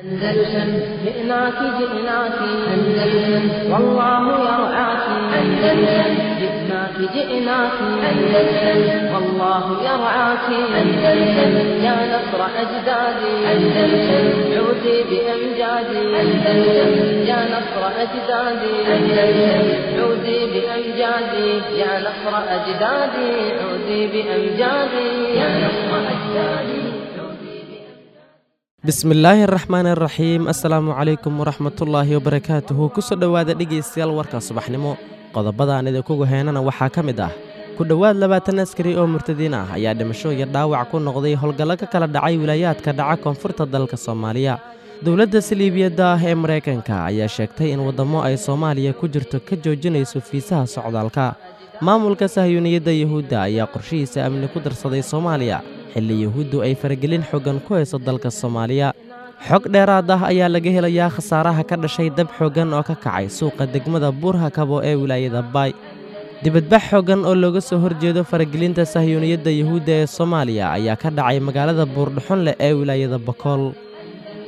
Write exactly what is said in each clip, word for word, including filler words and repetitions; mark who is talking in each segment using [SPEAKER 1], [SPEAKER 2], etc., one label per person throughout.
[SPEAKER 1] أندلسن جئناك جئناك أندلسن والله يرعاك أندلسن جئناك جئناك أندلسن والله يرعاك أندلسن يا نصر أجدادي أندلسن عودي بأمجادي أندلسن يا نصر أجدادي أندلسن عودي بأمجادي يا نصر أجدادي عودي بأمجادي يا نصر أجدادي.
[SPEAKER 2] Bismillaahi araxmaan araxiim. Assalaamu calaykum waraxmatullaahi wabarakaatuhu. Kusoo dhowaada dhegaystayaal warka subaxnimo. Qodobada aan idinkugu heynana waxaa ka mid ah ku dhowaad labaatan askari oo murtadiin ah ayaa dhimasho iyo dhaawac ku noqday howlgallo ka kala dhacay wilaayaadka dhaca koonfurta dalka Soomaaliya. Dowladda saliibiyadda ah ee Maraykanka ayaa sheegtay in waddamo ay Soomaaliya ku jirto ka joojinayso fiisaha socdaalka. Maamulka sahyuuniyadda Yuhuudda ayaa qorshihiisa amni ku darsaday Soomaaliya xilli Yuhuuddu ay faragelin xooggan ku hayso dalka Soomaaliya. Xog dheeraad ah ayaa laga helayaa khasaaraha ka dhashay dab xooggan oo ka kacay suuqa degmada Buurhakabo ee wilaayada Baay. Dibadbax xooggan oo looga soo horjeedo faragelinta sahyuuniyadda Yuhuudda ee Soomaaliya ayaa ka dhacay magaalada Buurdhuxunleh ee wilaayada Bakool.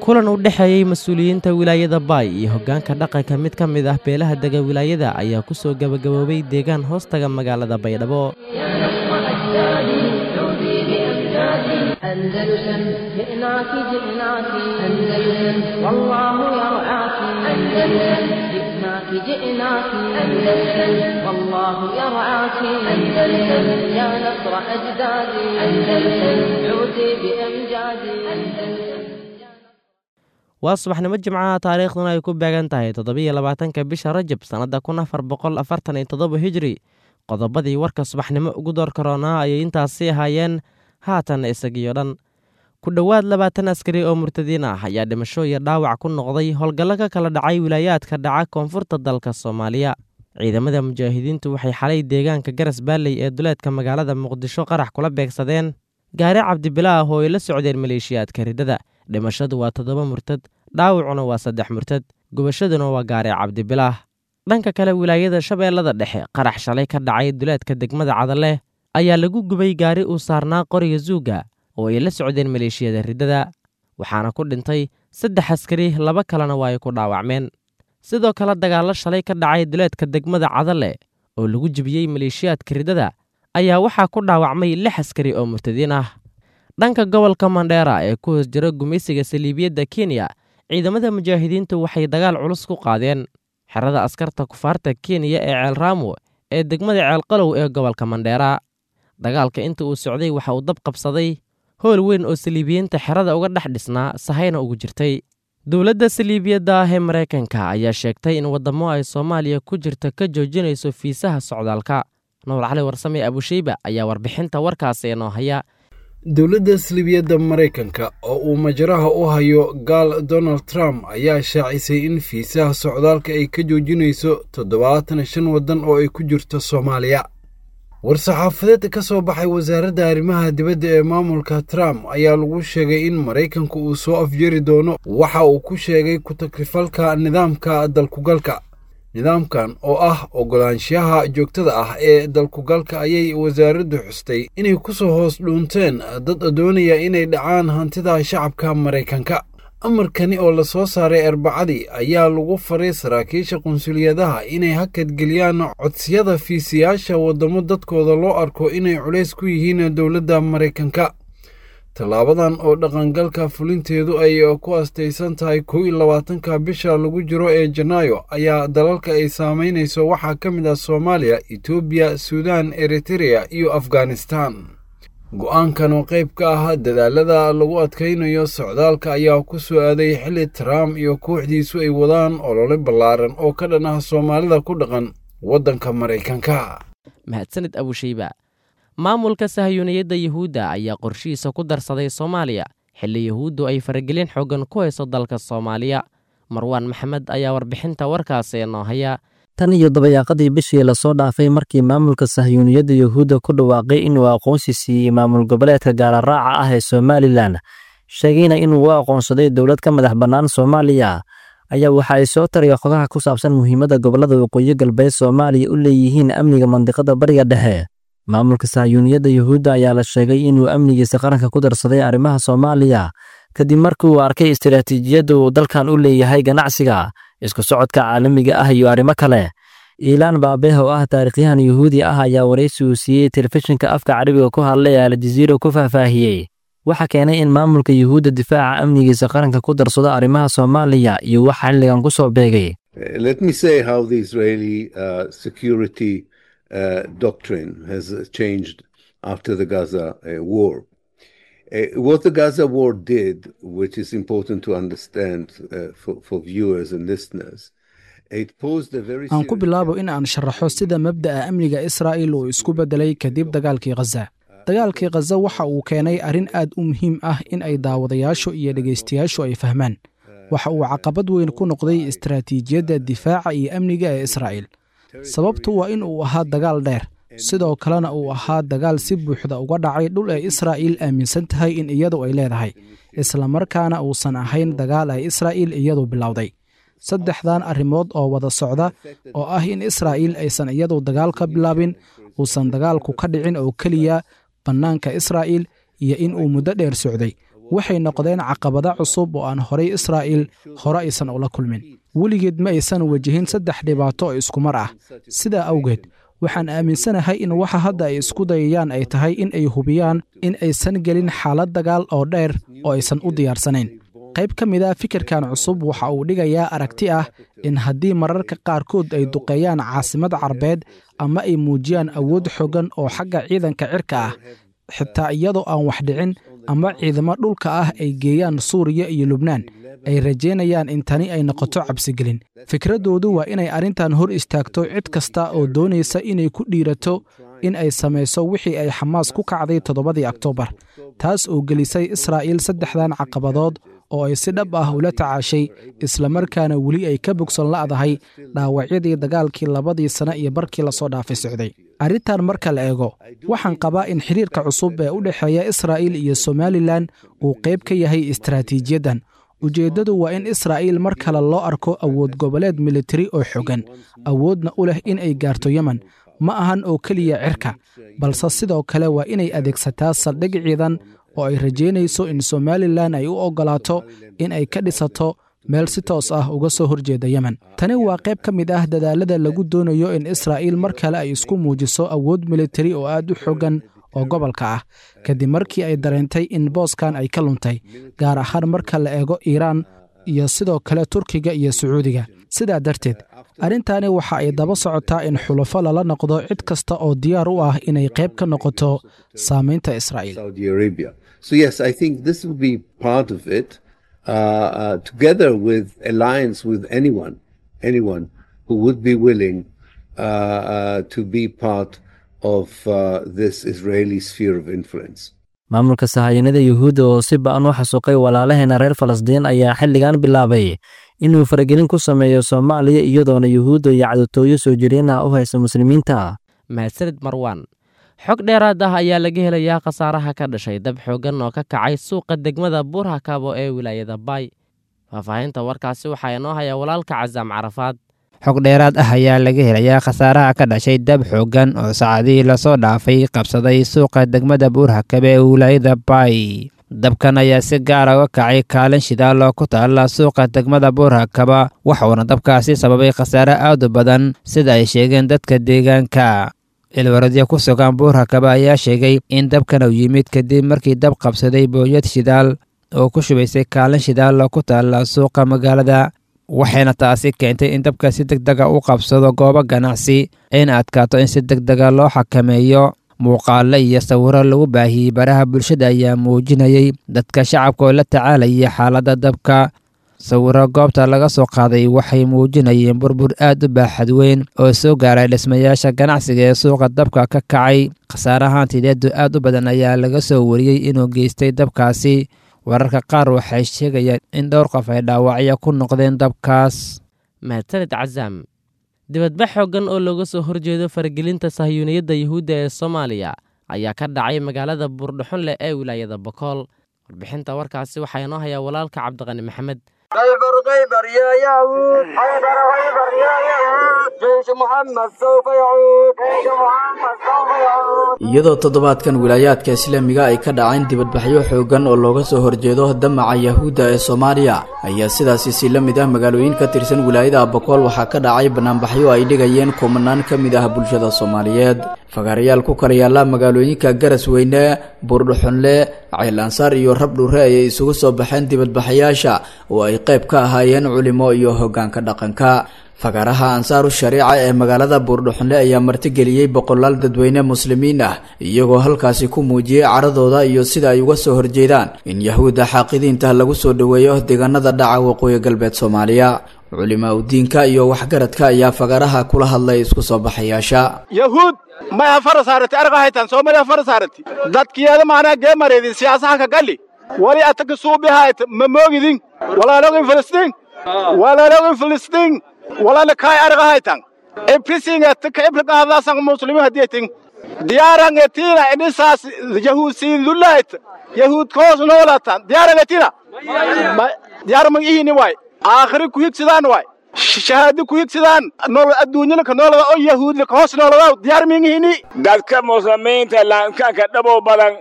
[SPEAKER 2] Kulan u dhexeeyey mas-uuliyiinta wilaayada Baay iyo hoggaanka dhaqanka mid ka mid ah beelaha dega wilaayada ayaa ku soo gebagaboobay deegaan hoostaga magaalada Baydhabo.
[SPEAKER 1] يا نصر أجدادي عودي بأمجادي أندلسن جئناك جئناك أندلسن والله يرعاك أندلسن جئناك جئناك أندلسن والله يرعاك أندلسن يا نصر أجدادي أندلسن عودي بأمجادي أندلسن.
[SPEAKER 2] Waa subaxnimo Jimcaha, taariikhduna ay ku beegan tahay toddobiyo labaatanka bisha Rajab sannadda kun afar boqol afartan iyo toddoba Hijri. Qodobadii warka subaxnimo ugu door karoonaa ayay intaasi ahaayeen, haatan isagiyo dhan. Ku dhowaad labaatan askari oo murtadiin ah ayaa dhimasho iyo dhaawac ku noqday howlgallo ka kala dhacay wilaayaadka dhaca koonfurta dalka Soomaaliya. Ciidamada mujaahidiintu waxay xalay deegaanka Garas Baalley ee duleedka magaalada Muqdisho qarax kula beegsadeen gaari Cabdibilaah oo ay la socdeen maleeshiyaadka riddada. Dhimashadu waa toddoba murtad, dhaawacuna waa saddex murtad, gubashaduna waa gaari Cabdibilaah. Dhanka kale, wilaayada Shabeellada Dhexe, qarax shalay ka dhacay duleedka degmada Cadale ayaa lagu gubay gaari uu saarnaa qoriga Zuuga oo ay la socdeen maleeshiyada riddada, waxaana ku dhintay saddex askari, laba kalena waa ay ku dhaawacmeen. Sidoo kale, dagaallo shalay ka dhacay duleedka degmada Cadale oo lagu jebiyey maleeshiyaadka riddada ayaa waxaa ku dhaawacmay lix askari oo murtadiin ah. Dhanka gobolka Mandheera ee ku hoos jira gumaysiga saliibiyadda Kenya, ciidamada mujaahidiintu waxay dagaal culus ku qaadeen xerada askarta kufaarta Kenya ee Ceelraamo ee degmada Ceelqalow ee gobolka Mandheera. Dagaalka inta uu socday waxa uu dab qabsaday hool weyn oo saliibiyiinta xerada uga dhex dhisnaa sahayna ugu jirtay. Dowladda saliibiyadda ah ee Maraykanka ayaa sheegtay in waddamo ay Soomaaliya ku jirta ka joojinayso fiisaha socdaalka. Nuur Cali Warsame Abusheyba ayaa warbixinta warkaasi inoo haya.
[SPEAKER 3] Dowladda saliibiyadda Maraykanka oo uu majraha u hayo gaal Donald Trump ayaa shaacisay in fiisaha socdaalka ay ka joojinayso toddobaatan shan waddan oo ay ku jirto Soomaaliya. War-saxaafadeed ka soo baxay wasaaradda arrimaha dibadda ee maamulka Trump ayaa lagu sheegay in Maraykanku uu soo afjari doono waxa uu ku sheegay ku-takrifalka nidaamka dalkugalka. Nidaamkan oo ah oggolaanshaha joogtada ah ee dalkugalka ayay wasaaraddu xustay inay ku soo hoos dhuunteen dad doonaya inay dhacaan hantida shacabka Maraykanka. Amarkani oo la soo saaray Arbacadii ayaa lagu faray saraakiisha qunsuliyadaha inay hakadgeliyaan codsiyada fiisiyaasha waddamo dadkooda loo arko inay culays ku yihiin dowladda Maraykanka. Tallaabadan oo dhaqangalka fulinteedu ay ku astaysan tahay kow iyo labaatanka bisha lagu jiro ee Janaayo ayaa dalalka ay saamaynayso waxaa ka mid ah Soomaaliya, Itoobiya, Suudaan, Eritereya iyo Afghanistan. Go'aankan oo qayb ka ah dadaalada lagu adkaynayo socdaalka ayaa ku soo aaday xilli Trump iyo kooxdiisu ay wadaan olole ballaaran oo ka dhan ah Soomaalida ku dhaqan waddanka Maraykanka.
[SPEAKER 2] Mahadsanid Abusheyba. Maamulka sahyuuniyadda Yuhuudda ayaa qorshihiisa ku darsaday Soomaaliya xilli Yuhuuddu ay faragelin xooggan ku hayso dalka Soomaaliya. Marwaan Maxamed ayaa warbixinta warkaasi inoo haya.
[SPEAKER 4] Tan iyo dabayaaqadii bishii lasoo dhaafay markii maamulka sahyuuniyadda Yuhuudda ku dhawaaqay inuu aqoonsi siiyey maamul goboleedka gaalaraaca ah ee Somalilan, sheegayna inuu u aqoonsaday dowlad ka madax bannaan Soomaaliya, ayaa waxa ay soo taraya xogaha ku saabsan muhiimadda gobollada waqooyi galbeed Soomaaliya u leeyihiin amniga mandiqada Bariga Dhexe. Maamulka sahyuuniyadda Yuhuudda ayaa la sheegay inuu amnigiisa qaranka ku darsaday arrimaha Soomaaliya, Kadib markii uu arkay istiraatiijiyadda uu dalkan u leeyahay ganacsiga, isku socodka caalamiga ah iyo arrimo kale. Iilaan Baabeh oo ah taariikhyahan Yuhuudi ah ayaa waraysi uu siiyey telefishinka afka Carabiga ku hadlay ee Aljaziira ku faahfaahiyey waxa keenay in maamulka Yuhuudda difaaca amnigiisa qaranka ku darsado arrimaha Soomaaliya iyo waxa xilligan ku soo beegay.
[SPEAKER 5] Let me say how the Israeli uh, security uh, doctrine has changed after the Gaza uh, war. Uh, what the Gaza war did, which is important to understand uh, for, for viewers and listeners,
[SPEAKER 6] aan ku bilaabo in aan sharaxo sida mabda'a amniga Israa'iil uu isku beddelay kadib dagaalkii Khaza. Dagaalkii Khaza waxa uu keenay arrin aad u muhiim ah in ay daawadayaashu iyo dhegaystayaashu ay fahmaan. Waxa uu caqabad weyn ku noqday istaraatiijiyadda difaaca iyo amniga ee Israa'iil. Sababtu waa in uu ahaa dagaal dheer, sidoo kalena uu ahaa dagaal si buuxda uga dhacay dhul ay Israa'iil aaminsan tahay in iyadu ay leedahay, islamarkaana uusan ahayn dagaal ay Israa'iil iyadu bilowday. Saddexdan arrimood oo wada socda oo ah in Israa'iil aysan iyadu dagaal ka bilaabin, uusan dagaalku ka dhicin oo keliya bannaanka Israa'iil, iyo in uu muddo dheer socday, waxay noqdeen caqabado cusub oo aan horay Israa'iil hore aysan ula kulmin. Weligeed ma aysan wajihin saddex dhibaato oo iskumar ah. Sidaa awgeed, waxaan aaminsanahay in waxa hadda ay isku dayayaan ay tahay in ay hubiyaan in aysan gelin xaalad dagaal oo dheer oo aysan u diyaarsanayn. Qayb ka mid ah fikirkan cusub waxa uu dhigayaa aragti ah in haddii mararka qaarkood ay duqeeyaan caasimad carbeed ama ay muujiyaan awood xooggan oo xagga ciidanka cirka ah, xitaa iyadoo aan wax dhicin, ama ciidamo dhulka ah ay geeyaan Suuriya iyo Lubnaan, ay rajaynayaan in tani ay noqoto cabsigelin. Fikraddoodu waa inay arrintan hor istaagto cid kasta oo doonaysa inay ku dhiirato in ay samayso wixii ay Xamaas ku kacday toddobadii Oktoobar, taas oo gelisay Israa'iil saddexdan caqabadood oo ay si dhab ah ula tacaashay, islamarkaana weli ay ka bogsan la'dahay dhaawacyadii dagaalkii labadii sane iyo barkii lasoo dhaafay socday. Arrintan marka la eego, waxaan qabaa in xiriirka cusub ee u dhexeeya Israa'iil iyo Somalilan uu qayb ka yahay istaraatiijiyaddan. Ujeeddadu waa in Israa'iil mar kale loo arko awood goboleed militari oo xooggan, awoodna u leh in ay gaarto Yemen. Ma ahan oo keliya cirka, balse sidoo kale waa inay adeegsataa saldhig ciidan oo ay rajaynayso in Somalilan ay u oggolaato in ay ka dhisato meel si toos ah uga soo horjeeda Yemen. Tani waa qayb ka mid ah dadaalada lagu doonayo in Israa'iil mar kale ay isku muujiso awood militari oo aad u xooggan oo gobolka ah, kadib markii ay dareentay in booskan ay ka luntay, gaar ahaan marka la eego Iiraan iyo sidoo kale Turkiga iyo Sacuudiga. Sidaa darteed, arrintani waxa ay daba socotaa in xulafo lala noqdo cid kasta oo diyaar u ah inay qayb ka noqoto saamaynta Israa'iil.
[SPEAKER 5] Saudi Arabia. So yes, I think this will be part of it, uh, uh, together with alliance with anyone, anyone who would be willing uh, uh, to be part of uh, this Israeli sphere of influence.
[SPEAKER 4] Maamulka sahayanada Yuhuudda oo si ba'an u xasuuqay walaalaheena reer Falastiin ayaa xilligan bilaabay inuu faragelin ku sameeyo Soomaaliya, iyadoona Yuhuudda iyo cadowtooyo soo jireen ah u haysa muslimiinta.
[SPEAKER 2] Mahadsanid Marwaan. Xog dheeraad ah ayaa laga helayaa khasaaraha ka dhashay dab xooggan oo ka kacay suuqa degmada Buurhakabo ee wilaayada Baay. Faahfaahinta warkaasi waxaa inoo haya walaalka Casaam Carafaad.
[SPEAKER 7] Xog dheeraad ah ayaa laga helayaa khasaaraha ka dhashay dab xooggan oo saacadihii lasoo dhaafay qabsaday suuqa degmada Buurhakabe ee wilaayada Baay. Dabkan ayaa si gaara uga kacay kaalin shidaal oo ku taalla suuqa degmada Buurhakaba, waxuuna dabkaasi sababay khasaare aad u badan sida ay sheegeen dadka deegaanka. Cilwaradyo ku sugan Buurhakaba ayaa sheegay in dabkan uu yimid kadib markii dab qabsaday booyad shidaal oo ku shubaysay kaalin shidaal oo ku taalla suuqa magaalada, waxayna taasi keentay in dabka si deg dega u qabsado goobo ganacsi ayna adkaato in si deg dega loo xakameeyo. Muuqaalo iyo sawiro lagu baahiyey baraha bulshada ayaa muujinayay dadka shacabka oo la tacaalayay xaaladda dabka. Sawiro goobta laga soo qaaday waxay muujinayeen burbur aad u baaxad weyn oo soo gaaray dhismayaasha ganacsiga ee suuqa dabka ka kacay. Khasaaraha hantideedu aad u badan ayaa laga soo wariyey inuu geystay dabkaasi. Wararka qaar waxay sheegayaan in dhowr qof ay dhaawacyo ku noqdeen dabkaas.
[SPEAKER 2] Mahadsanid Casaam. Dibadbax xooggan oo looga soo horjeedo faragelinta sahyuuniyadda Yuhuudda ee Soomaaliya ayaa ka dhacay magaalada Buurdhuxunleh ee wilaayada Bokool. Warbixinta warkaasi waxaa inoo hayaa walaalka Cabdiqani Maxamed.
[SPEAKER 8] لا فرق خيبر يا يهود، خيبر خيبر يا يهود، جيش محمد سوف يعود، جيش محمد سوف يعود.
[SPEAKER 9] Iyadoo toddobaadkan wilaayaadka islaamiga ay ka dhaceen dibadbaxyo xooggan oo looga soo horjeedo damaca yahuudda ee Soomaaliya, ayaa sidaasi si la mid ah magaalooyin ka tirsan wilaayada Abakool waxaa ka dhacay banaanbaxyo ay dhigayeen kumanaan ka mid ah bulshada Soomaaliyeed. Fagaarayaal ku kala yaala magaalooyinka Garasweyne, Buurdhuxunle, Ceel Ansaar iyo Rabdhure ayay isugu soo baxeen dibadbaxayaasha oo ay qayb ka ahaayeen culimo iyo hoggaanka dhaqanka. Fagaaraha Ansaaru Shariica ee magaalada Buurdhuxunle ayaa martigeliyey boqolaal dadweyne muslimiin ah, iyagoo halkaasi ku muujiyey caradooda iyo sida ay uga soo horjeedaan in yahuudda xaaqidiinta lagu soo dhoweeyo deegaanada dhaca waqooyi galbeed Soomaaliya. Culimaa udiinka iyo waxgaradka ayaa fagaaraha kula hadlay isku soo baxayaasha.
[SPEAKER 10] Yahuud maya fara saarati argahaytan Soomaaliya fara saarati dadkiyaada macnaha geemareedin siyaasaha ka gali wali ataka suubihayt ma moogidin walaalogin Filistiin walaalogin Filistiin walaala kaay argahaytan ebrisinga taka ibriqaadaasan muslimiin hadiyatin diyaarangetina inisaas yahuud siin dulayt yahuud koos noolatan diyaarangetina diyaar ma ihini waay aakhiri ku higsadaan waay shahaado ku higsadaan nolol adduunyada ka noolada oo yahuud ka hoos noolada diyaar ma ihini.
[SPEAKER 11] Dadka muslimiinta laankaanka dhabow badan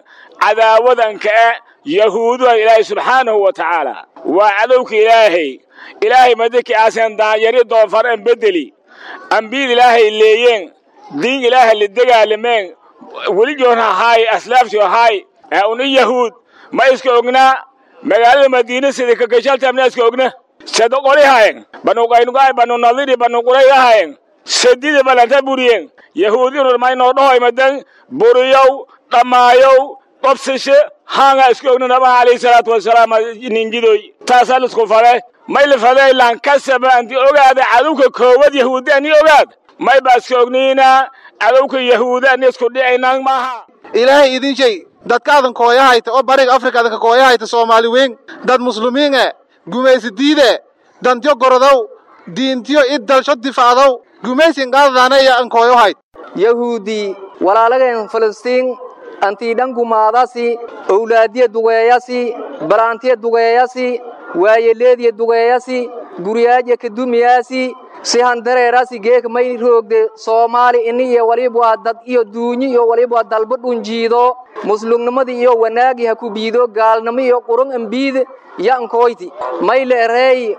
[SPEAKER 11] cadaawadanka eh yahuuduha Ilaahay subxaanahu wa tacaala waa cadowka Ilaahay. Ilaahay madaki aasan daanyari doonfar an bedeli ambiyada Ilaahay leeyeen diin Ilaahay la dagaalameen weli joona ahaay aslaaftii ahaay uni yahuud ma iska ognaa magaalada Madiina sida ka gashalta iska ogna sado qorihaayeen banu Qaynuqaa banu Nadiri banu Quraydahaayeen sadida balanta buriyeen yahuudinu maynoo dhahoy madan buriyow dhammaayow qobsashe haanga iska ogna nabiga calayhi salaatu wasalaam ninjidoy taasaa lisku fale may la fadey lankasaba anti ogaada cadowka koowad yahuudi ani ogaad may baa iska ogniina cadowka yahuudi ani isku dhicaynaan maaha.
[SPEAKER 12] Ilaahay idin shay dadkaadan kooyahayta oo bariga Afrikaadan ka kooyahayta Soomaali weyn dad muslimiin eh gumaysi diide dantiyo gorodow diintiyo id dalsho difaacdow gumaysin qaadadaanaya an kooyohayd.
[SPEAKER 8] Yahuudi walaalageen Filistiin antii dhangumaadasi owlaadiya dugeeyasi balaantiya dugeeyasi waayeleediya dugeeyasi guriyaaja kadumiyaasi si handareerasi geek may roogde Soomaali ini iyo waliba waa dad iyo duunyi iyo waliba waa dalbo dhunjiido muslimnimadii iyo wanaagi ha ku biido gaalnimo iyo qurun ambiid yaankoyti may leereey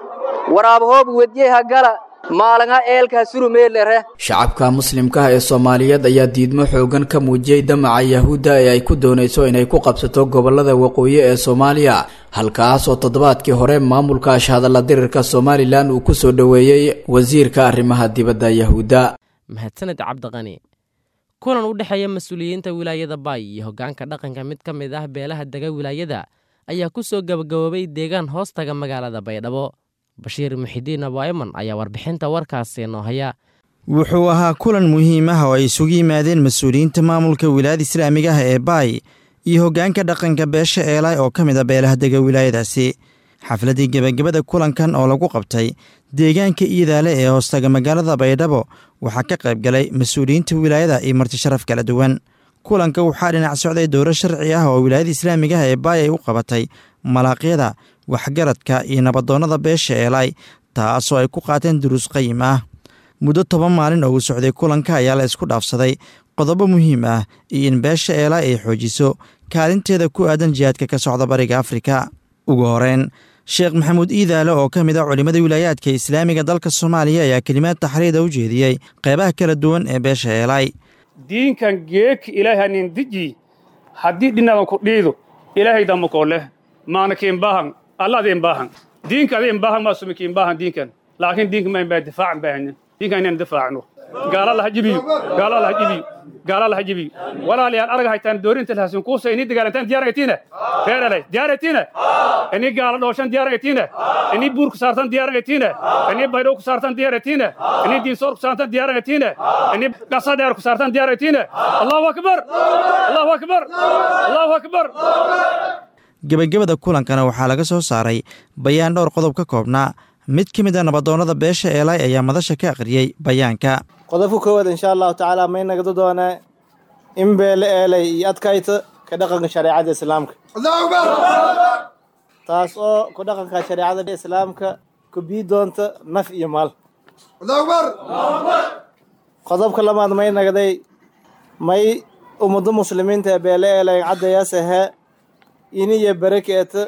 [SPEAKER 8] waraab hoob wedyaha gala maalinga eelka surumeelere.
[SPEAKER 9] Shacabka muslimka ah ee Soomaaliyeed ayaa diidmo xoogan ka muujiyey damaca yahuudda ee ay ku doonayso inay ku qabsato gobolada waqooyi ee Soomaaliya, halkaas oo toddobaadkii hore maamulka ashhadalla dirirka Somaliland uu ku soo dhoweeyey wasiirka arrimaha dibadda yahuudda.
[SPEAKER 2] Mahadsaned Cabdiqani. Kulan u dhexeeya mas-uuliyiinta wilaayada Baay iyo hoggaanka dhaqanka mid ka mid ah beelaha dega wilaayada ayaa ku soo gabagaboobay deegaan hoostaga magaalada Baydhabo. Bashiir Muxidiin Abu Ayman ayaa warbixinta warkaasi noo haya.
[SPEAKER 13] Wuxuu ahaa kulan muhiim ah oo ay isugu yimaadeen mas-uuliyiinta maamulka wilaayada islaamiga ah ee Baay iyo hoggaanka dhaqanka beesha Eelaay oo ka mid a beelaha dega wilaayadaasi. Xafladdii gebagabada kulankan oo lagu qabtay deegaanka Iidaale ee hoostaga magaalada Baydhabo waxaa ka qayb galay mas-uuliyiinta wilaayada iyo marti sharaf kala duwan. Kulanka waxaa dhinac socday dowro sharci ah oo wilaayada islaamiga ah ee Baay ay u qabatay malaaqyada, waxgaradka iyo nabadoonnada beesha Eelaay, taasoo ay ku qaateen duruus qayim ah. Muddo toban maalin oo uu socday kulanka ayaa la isku dhaafsaday qodobo muhiim ah iyo in beesha Eelaay ay xoojiso kaalinteeda ku aadan jihaadka ka socda bariga Afrika. Ugu horeyn, Sheekh Maxamuud Iidaale oo ka mid ah culimmada wilaayaadka islaamiga dalka Soomaaliya ayaa kelimaad taxriida u jeediyey qeybaha kala duwan ee beesha Eelaay.
[SPEAKER 14] Diinkan geek Ilaahay nin deji haddii dhinadan ku dhiido Ilaahay damo koole maana kiin baahan Allah adin baahan diinka adin baahan ma sumi kiin baahan diinkan laakiin diinka ma baa difaac baahan diinkan inaan difaacno gaala la hajibiyo gaala la hajibiyo gaala la hajibiyo walaalayaal arag haytaan doorinta lahaasin kuusa inii dagaalantaan diyaaraytiina feeralay diyaaraytiina inii gaala dhooshan diyaaraytiina inii buur ku saartan diyaaraytiina inii baydhow ku saartan diyaaraytiina inii diinsoor ku saartan diyaaraytiina inii gasadheer ku saartan diyaaraytiina. Allahu akbar, Allahu akbar, Allahu akbar.
[SPEAKER 13] Gebagabada kulankana waxaa laga soo saaray bayaan dhowr qodob ka koobnaa. Mid ka mid a nabadoonnada beesha Eelaay ayaa madasha ka akhriyey bayaanka.
[SPEAKER 15] Qodobka koowaad insha allahu tacaala may nagada doonaa in beele Eelay iyo adkayta ka dhaqanka shareecada islaamka, taas oo ku dhaqanka shareecada islaamka ku bii doonta naf iyo maal. Qodobka labaad may nagday may ummadda muslimiinta ee beele eelay caddayaas ahee iniyo barakeeta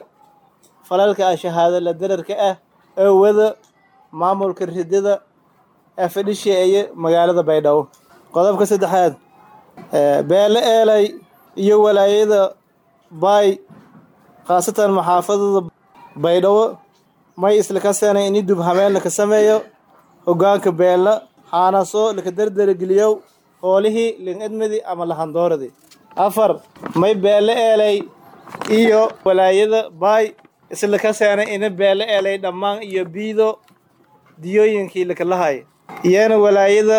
[SPEAKER 15] falalka ah shahaado la dararka ah ee wada maamulka ridada ee fadhisheeye magaalada Baydhabo. Qodobka saddexaad, beele eelay iyo walaayada Baay, khaasatan maxaafadada Baydhabo, may isla ka seenay in dub habeen la ka sameeyo hoggaanka beela xaanaso laka dardargeliyo hoolihii lin idmidi ama lahandooradii. Afar, may beele eelay iyo walaayada Baay isla ka seenay in beele eelay dhammaan iyo biido diyooyinkii lakalahay, iyana walaayada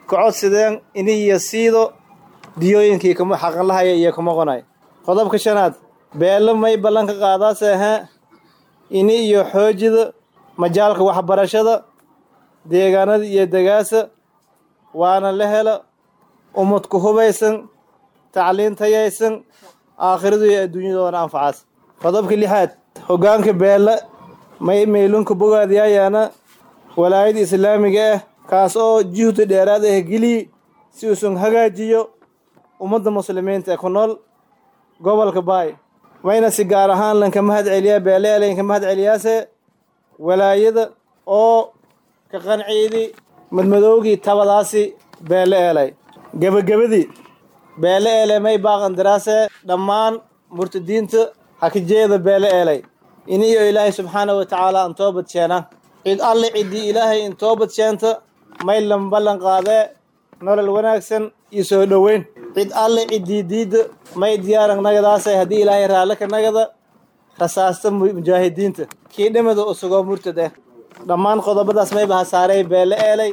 [SPEAKER 15] ka codsadeen in iyo siido diyooyinkii kuma xaqan lahaya iyo kuma qonay. Qodobka shanaad, beelo may ballanka qaadaase ahaa ini iyo xoojida majaalka waxbarashada deegaanada iyo degaasa, waana la helo ummad ku hubaysan tacliin tayaysan aakhiradu iyo adduunyadoona anfacaas. Qodobka lixaad, hoggaanka beela may meylunka bogaadiyayaana walaayada islaamiga ah kaas oo juhdi dheeraad ah geliyi si uusan hagaajiyo ummadda muslimiinta ee ku nool gobolka Baay. Wayna si gaar ahaan lanka mahad celiyaa beele lanka mahad celiyaase walaayada oo ka qanciidi madmadowgii tabadaasi beele eelay. Gabagabadii, beele eelay may baaqan daraase dhammaan murtadiinta hakajeeda beele eelay iniyo Ilaahay subxaanahu wa tacaala an toobad sheena. Cid alle ciddii Ilaahay in toobad sheenta may lan ballan qaadee nolol wanaagsan iyo soo dhoweyn. Cid alle ciddii diidda may diyaaran nagadaasay haddii Ilaahay raalle ka nagada rasaasta mujaahidiinta kii dhimada usugoo murtad ah. Dhammaan qodobadaas may bahasaaray beele eelay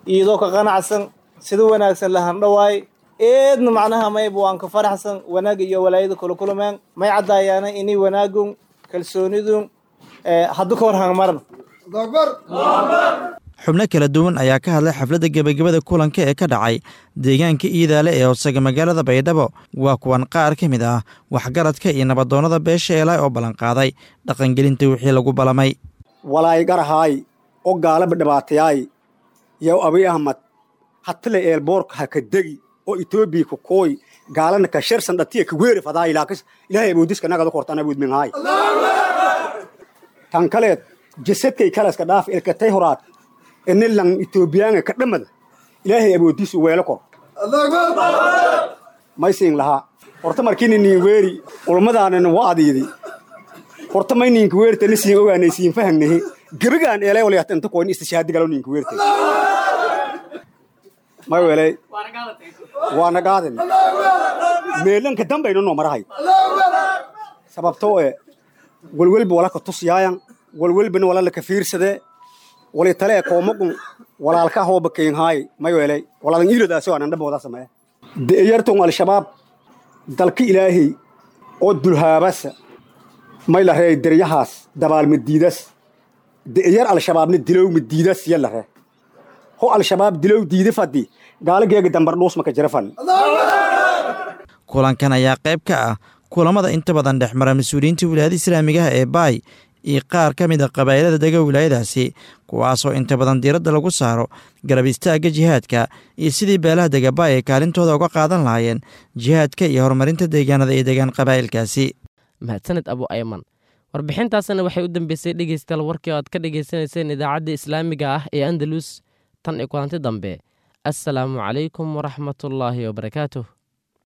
[SPEAKER 15] iyadoo ka qanacsan sida wanaagsan la handhawaay eedna macnaha mayba waan ka faraxsan wanaagga iyo walaayada kula kulmeen. May cadaayaana inay wanaagun kalsoonidun haddu ka hor hangmaran.
[SPEAKER 13] Xubno kala duwan ayaa ka hadlay xafladda gebagabada kulanka ee ka dhacay deegaanka Iidaale ee hoosaga magaalada Baydhabo. Waa kuwan qaar ka mid ah waxgaradka iyo nabadoonnada beesha eelay oo ballanqaaday dhaqangelinta wixii lagu balamay.
[SPEAKER 16] Walaay garahaay oo gaalaba dhibaatayaay yow Abiy Ahmad hatile eelboorka ha ka degi oo Itoobiya ku kooy gaalana ka sharsan dhatiya ka weeri fadaay ilaakas Ilaahay awoodiska nagada kortaan awood minhaay. Tan kaleed jasadkay kalaska dhaaf ilkatay horaad inilan Itoobiyaanka ka dhamada Ilaahay awoodiisu weelo kor maysiin lahaa. Horta markiina niin weeri ulmadaanan wacdiidi horta may ninka weerta ni siin ogaanay siin fahannahi gebigaan eelay waliyata inta koon istishaadi galo ninka weerta may weelay waana qaadan meelanka dambayno noo marahay sababtoo ee walwalba wala ka tusiyaayan walwalbana wala la ka fiirsadee wali tale koomagun walaalka hooba keenhaay may weelay walaadan iilodaasi waanan dhabooda sameeye de'yartun al-shabaab dalka Ilaahay oo dulhaabasa may la reey deryahaas dabaalma diidas de'yar al-shabaabna dilowma diidas yalla ree ho al-shabaab dilow diida fadhi gaalageega dambar dhuusma ka jira fan.
[SPEAKER 13] Kulankan ayaa qayb ka ah kulamada inta badan dhex mara mas-uuliyiinta wilaayada islaamigaha ee Baay iyo qaar ka mid a qabaa'ilada dega wilaayadaasi, kuwaasoo inta badan diiradda lagu saaro garab istaagga jihaadka iyo sidii beelaha dega Baay ay kaalintooda uga qaadan lahaayeen jihaadka iyo horumarinta deegaanada ay degaan qabaa'ilkaasi.
[SPEAKER 2] Mahadsaned Abu Ayman. Warbixintaasna waxay u dambeysay dhegeystayaal warkii oo aad ka dhegeysanayseen idaacadda islaamiga ah ee Andalus. Tan iyo kulanti dambe, assalaamu calaykum waraxmatullaahi wabarakaatuh.